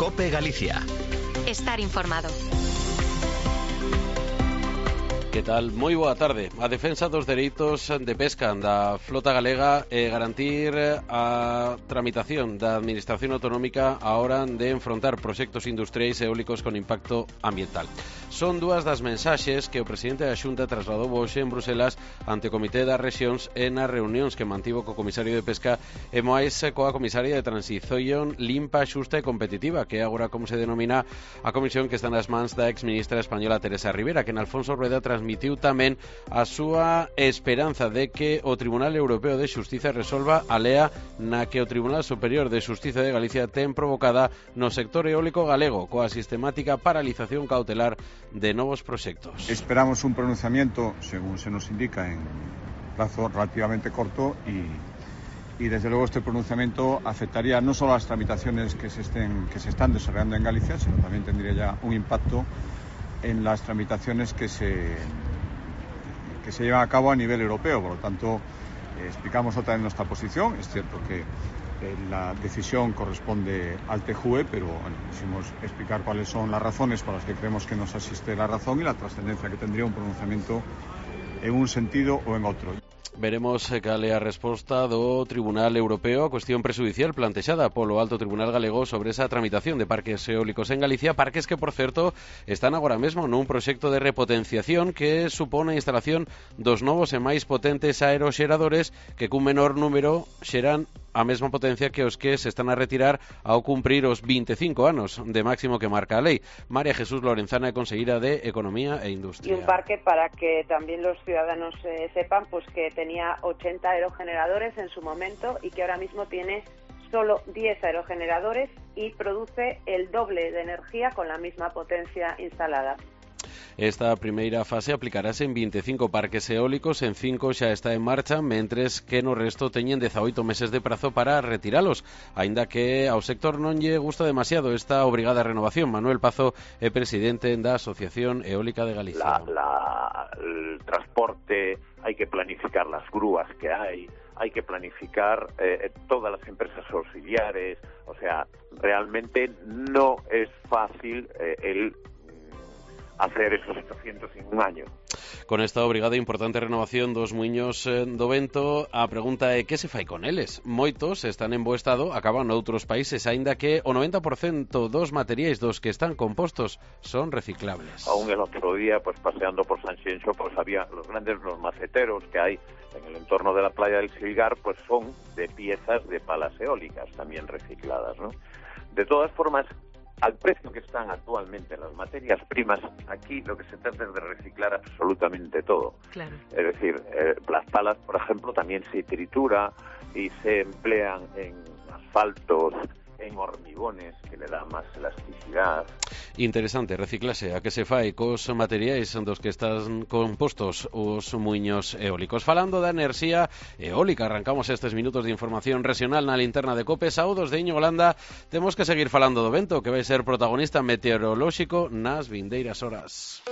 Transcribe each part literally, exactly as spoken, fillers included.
COPE Galicia. Estar informado. Que tal? Moi boa tarde. A defensa dos dereitos de pesca da flota galega e garantir a tramitación da Administración Autonómica a hora de enfrontar proxectos industriais e eólicos con impacto ambiental. Son dúas das mensaxes que o presidente da Xunta trasladou hoxe en Bruselas ante o Comité das Rexións e nas reunións que mantivo co Comisario de Pesca e máis coa Comisaria de Transición Limpa, Xusta e Competitiva, que é agora como se denomina a comisión que está nas mans da exministra española Teresa Rivera, que en Alfonso Rueda transmitiu tamén a súa esperanza de que o Tribunal Europeo de Xustiza resolva a lea na que o Tribunal Superior de Xustiza de Galicia ten provocada no sector eólico galego coa sistemática paralización cautelar de novos proxectos. Esperamos un pronunciamiento, según se nos indica, en plazo relativamente corto y, y desde luego este pronunciamiento afectaría no solo a las tramitaciones que se, estén, que se están desarrollando en Galicia, sino también tendría ya un impacto en las tramitaciones que se, que se llevan a cabo a nivel europeo. Por lo tanto, eh, explicamos otra vez nuestra posición. Es cierto que eh, la decisión corresponde al T J U E, pero bueno, quisimos explicar cuáles son las razones por las que creemos que nos asiste la razón y la trascendencia que tendría un pronunciamiento en un sentido o en outro. Veremos cal é a resposta do Tribunal Europeo a cuestión prexudicial plantexada polo Alto Tribunal Galego sobre esa tramitación de parques eólicos en Galicia, parques que, por certo, están agora mesmo nun proxecto de repotenciación que supone a instalación dos novos e máis potentes aeroxeradores que cun menor número xeran a mesma potencia que os que se están a retirar ao cumprir os vinte e cinco anos de máximo que marca a lei. María Jesús Lorenzana é conselleira de Economía e Industria. Y un parque, para que también los ciudadanos eh, sepan, pues que tenía ochenta aerogeneradores en su momento y que ahora mismo tiene solo diez aerogeneradores y produce el doble de energía con la misma potencia instalada. Esta primeira fase aplicarase en vinte e cinco parques eólicos, en cinco xa está en marcha, mentres que no resto teñen dezaoito meses de prazo para retiralos, aínda que ao sector non lle gusta demasiado esta obrigada renovación. Manuel Pazo é presidente da Asociación Eólica de Galicia. La, la, el transporte, hay que planificar las grúas que hay, hay que planificar eh, todas las empresas auxiliares, o sea, realmente no es fácil eh, el hacer esos ochocientos en un año. Con esta obrigada e importante renovación dos muiños eh, do vento, a pregunta é que se fai con eles? Moitos están en bo estado, acaban noutros países, aínda que o noventa por cento dos materiais dos que están compostos son reciclables. Aún el otro día, pues paseando por Sanxenxo, pues había los grandes los maceteros que hay en el entorno de la playa del Silgar, pues son de piezas de palas eólicas también recicladas, ¿no? De todas formas, al precio que están actualmente las materias primas, aquí lo que se trata es de reciclar absolutamente todo. Claro. Es decir, eh, las palas, por ejemplo, también se tritura y se emplean en asfaltos, en hormigones, que le dan más elasticidad. Interesante, reciclase a que se fai cos materiais dos que están compostos os muiños eólicos. Falando da enerxía eólica, arrancamos estes minutos de información regional na linterna de COPE. Saúdos de Íñigo Landa, temos que seguir falando do vento, que vai ser protagonista meteorolóxico nas vindeiras horas.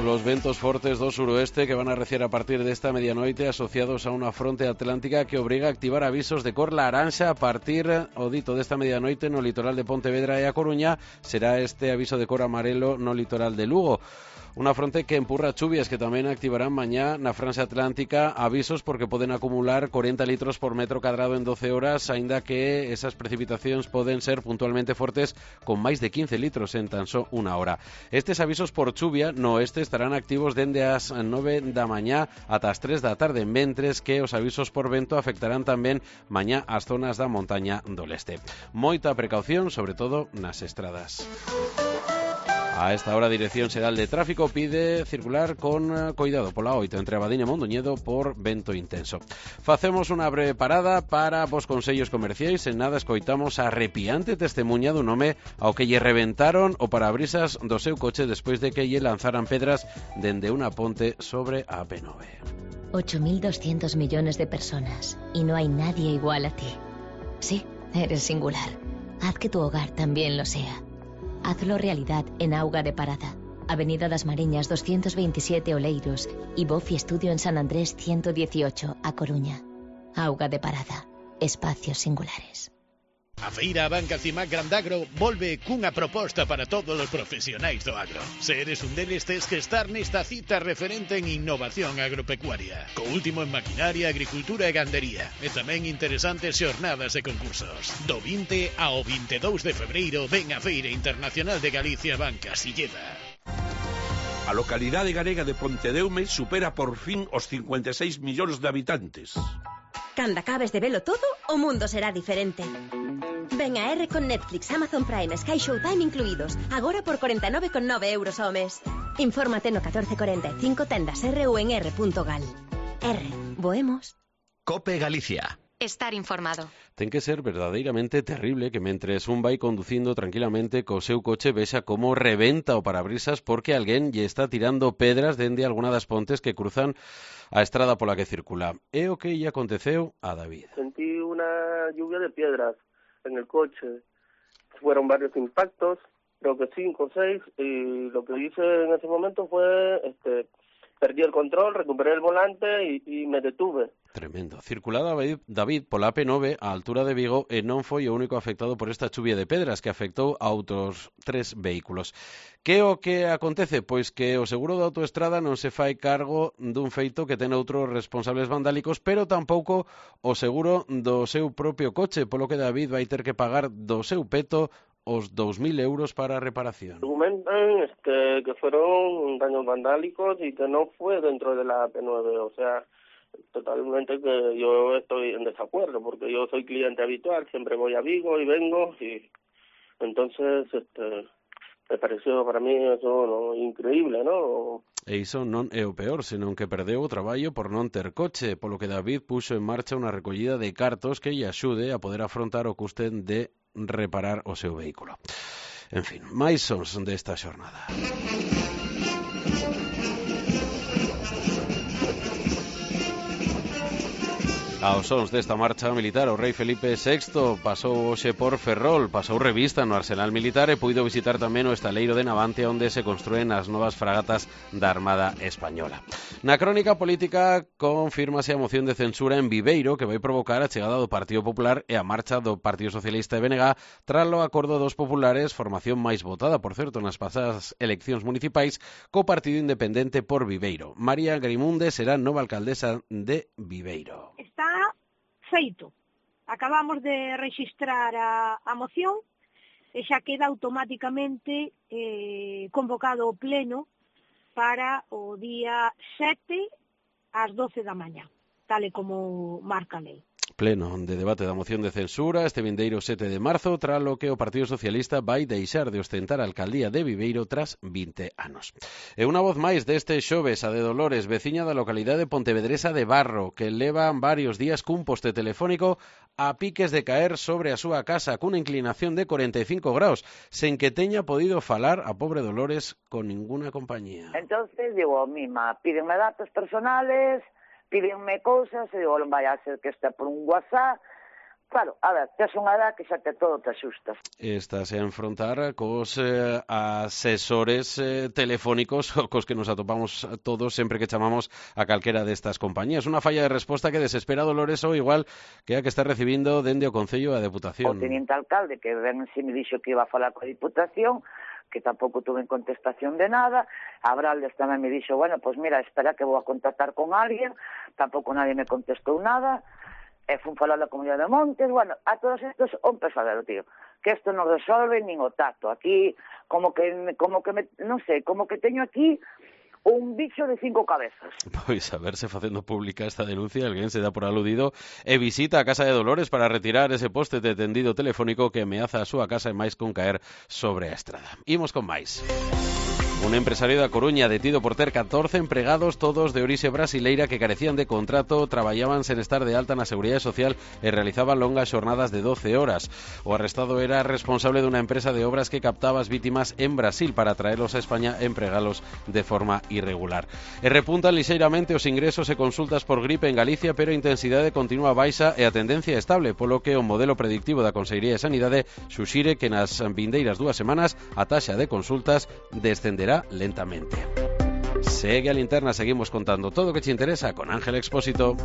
Los ventos fortes do suroeste que van a arreciar a partir desta medianoite asociados a unha fronte atlántica que obriga a activar avisos de cor laranxa a partir, o dito, desta medianoite no litoral de Pontevedra e a Coruña. Será este aviso de cor amarelo no litoral de Lugo. Unha fronte que empurra chuvias que tamén activarán mañá na franxa atlántica, avisos porque poden acumular corenta litros por metro cadrado en doce horas, aínda que esas precipitacións poden ser puntualmente fortes con máis de quince litros en tan só unha hora. Estes avisos por chuvia no oeste estarán activos dende as nove da mañá ata as tres da tarde, mentres que os avisos por vento afectarán tamén mañá as zonas da montaña do leste. Moita precaución, sobre todo nas estradas. A esta hora, a Dirección Xeral de Tráfico pide circular con cuidado pola oito entre Abadiño e Mondoñedo por vento intenso. Facemos unha breve parada para vos consellos comerciais. En nada escoitamos a arrepiante testemunha dun home ao que lle reventaron o parabrisas do seu coche despois de que lle lanzaran pedras dende unha ponte sobre a P nove. ocho mil doscientos millones de personas y no hay nadie igual a ti. Sí, eres singular. Haz que tu hogar también lo sea. Hazlo realidad en Auga de Parada, Avenida das Mariñas doscientos veintisiete Oleiros y Bofi Estudio en San Andrés ciento dieciocho, A Coruña. Auga de Parada, espacios singulares. A feira Banca Cimac Grandagro volve cunha proposta para todos os profesionais do agro. Se eres un deles, tes que estar nesta cita referente en innovación agropecuaria, co último en maquinaria, agricultura e gandería, e tamén interesantes xornadas e concursos. Do vinte ao vinte e dous de febreiro ven a Feira Internacional de Galicia Banca Silleda. A localidade galega de Pontedeume supera por fin os cincuenta e seis millóns de habitantes. Cando acabes de velo todo, o mundo será diferente. Ven a R con Netflix, Amazon Prime, Sky Showtime incluídos, agora por cuarenta e nove con nove euros ao mes. Infórmate no catorce cuarenta e cinco, tendas R ou en r punto gal. R, voemos. Cope Galicia. Estar informado. Ten que ser verdadeiramente terrible que mentres un vai conducindo tranquilamente co seu coche vexa como rebenta o parabrisas porque alguén lle está tirando pedras dende alguna das pontes que cruzan a estrada pola que circula. É o que lle aconteceu a David. Sentí una lluvia de piedras en el coche. Fueron varios impactos, creo que cinco o seis, y lo que hice en ese momento fue, este, perdí el control, recuperé el volante y, y me detuve. Tremendo. Circulaba David, David pola A P nove á altura de Vigo e non foi o único afectado por esta chuvia de pedras que afectou a outros tres vehículos. Que o que acontece? Pois que o seguro da autoestrada non se fai cargo dun feito que ten outros responsables vandálicos, pero tampouco o seguro do seu propio coche, polo que David vai ter que pagar do seu peto os dous mil euros para a reparación. Argumentan este, que fueron daños vandálicos y que no fue dentro de la A P nueve, o sea, totalmente que yo estoy en desacuerdo, porque yo soy cliente habitual, siempre voy a Vigo y vengo, y entonces este, me pareció para mí eso no, increíble, ¿no? E iso non é o peor, senón que perdeu o traballo por non ter coche, polo que David puxo en marcha unha recollida de cartos que lle axude a poder afrontar o custe de reparar o seu vehículo. En fin, máis sons desta xornada. Aos sons desta marcha militar, o rei Felipe sexto pasou hoxe por Ferrol, pasou revista no Arsenal Militar e puido visitar tamén o estaleiro de Navantia onde se construen as novas fragatas da Armada Española. Na crónica política confírmase a moción de censura en Viveiro que vai provocar a chegada do Partido Popular e a marcha do Partido Socialista de B N G tras o acordo dos populares, formación máis votada, por certo, nas pasadas eleccións municipais, co Partido Independente por Viveiro. María Grimunde será nova alcaldesa de Viveiro. Está feito. Acabamos de rexistrar a, a moción e xa queda automáticamente eh, convocado o pleno para o día sete ás doce da mañá, tal e como marca a lei. Pleno de debate da moción de censura este vindeiro sete de marzo, tras lo que o Partido Socialista vai deixar de ostentar a alcaldía de Viveiro tras vinte anos. E unha voz máis deste xoves, a de Dolores, veciña da localidade pontevedresa de Barro, que leva varios días cun poste telefónico a piques de caer sobre a súa casa cunha inclinación de corenta e cinco graus, sen que teña podido falar a pobre Dolores con ninguna compañía. Entonces digo, mima, pídenme datos personales, pídenme cousas, e digo, non vai a ser que este por un WhatsApp. Claro, a ver, tes unha edad que xa te todo te asustas. Estás a enfrontar cos eh, asesores eh, telefónicos cos que nos atopamos todos sempre que chamamos a calquera destas compañías. Unha falla de resposta que desespera Dolores ou igual que a que está recibindo dende o Concello e a Deputación. O teniente alcalde que ven si me dixo que iba a falar coa Diputación, que tampouco tuve contestación de nada. Abraldes tamén me dixo, bueno, pues mira, espera que vou a contactar con alguén, tampouco nadie me contestou nada. E fun falar da Comunidade de Montes, bueno, a todos estos un pesadero, tío, que isto non resolve nin o tacto. Aquí, como que, como que me, non sei, como que teño aquí un bicho de cinco cabezas. Pois a verse facendo pública esta denuncia, alguén se dá por aludido e visita a casa de Dolores para retirar ese poste de tendido telefónico que ameaza a súa casa e máis con caer sobre a estrada. Imos con máis. Un empresario da Coruña detido por ter catorce empregados, todos de orixe brasileira, que carecían de contrato, traballaban sen estar de alta na Seguridade Social e realizaban longas xornadas de doce horas. O arrestado era responsable dunha empresa de obras que captaba as vítimas en Brasil para traelos a España e empregalos de forma irregular. E repuntan lixeiramente os ingresos e consultas por gripe en Galicia, pero a intensidade continúa baixa e a tendencia estable, polo que o modelo predictivo da Consellería de Sanidade suxire que nas vindeiras dúas semanas a taxa de consultas descenderá lentamente. Segue a linterna, seguimos contando todo o que te interesa con Ángel Expósito.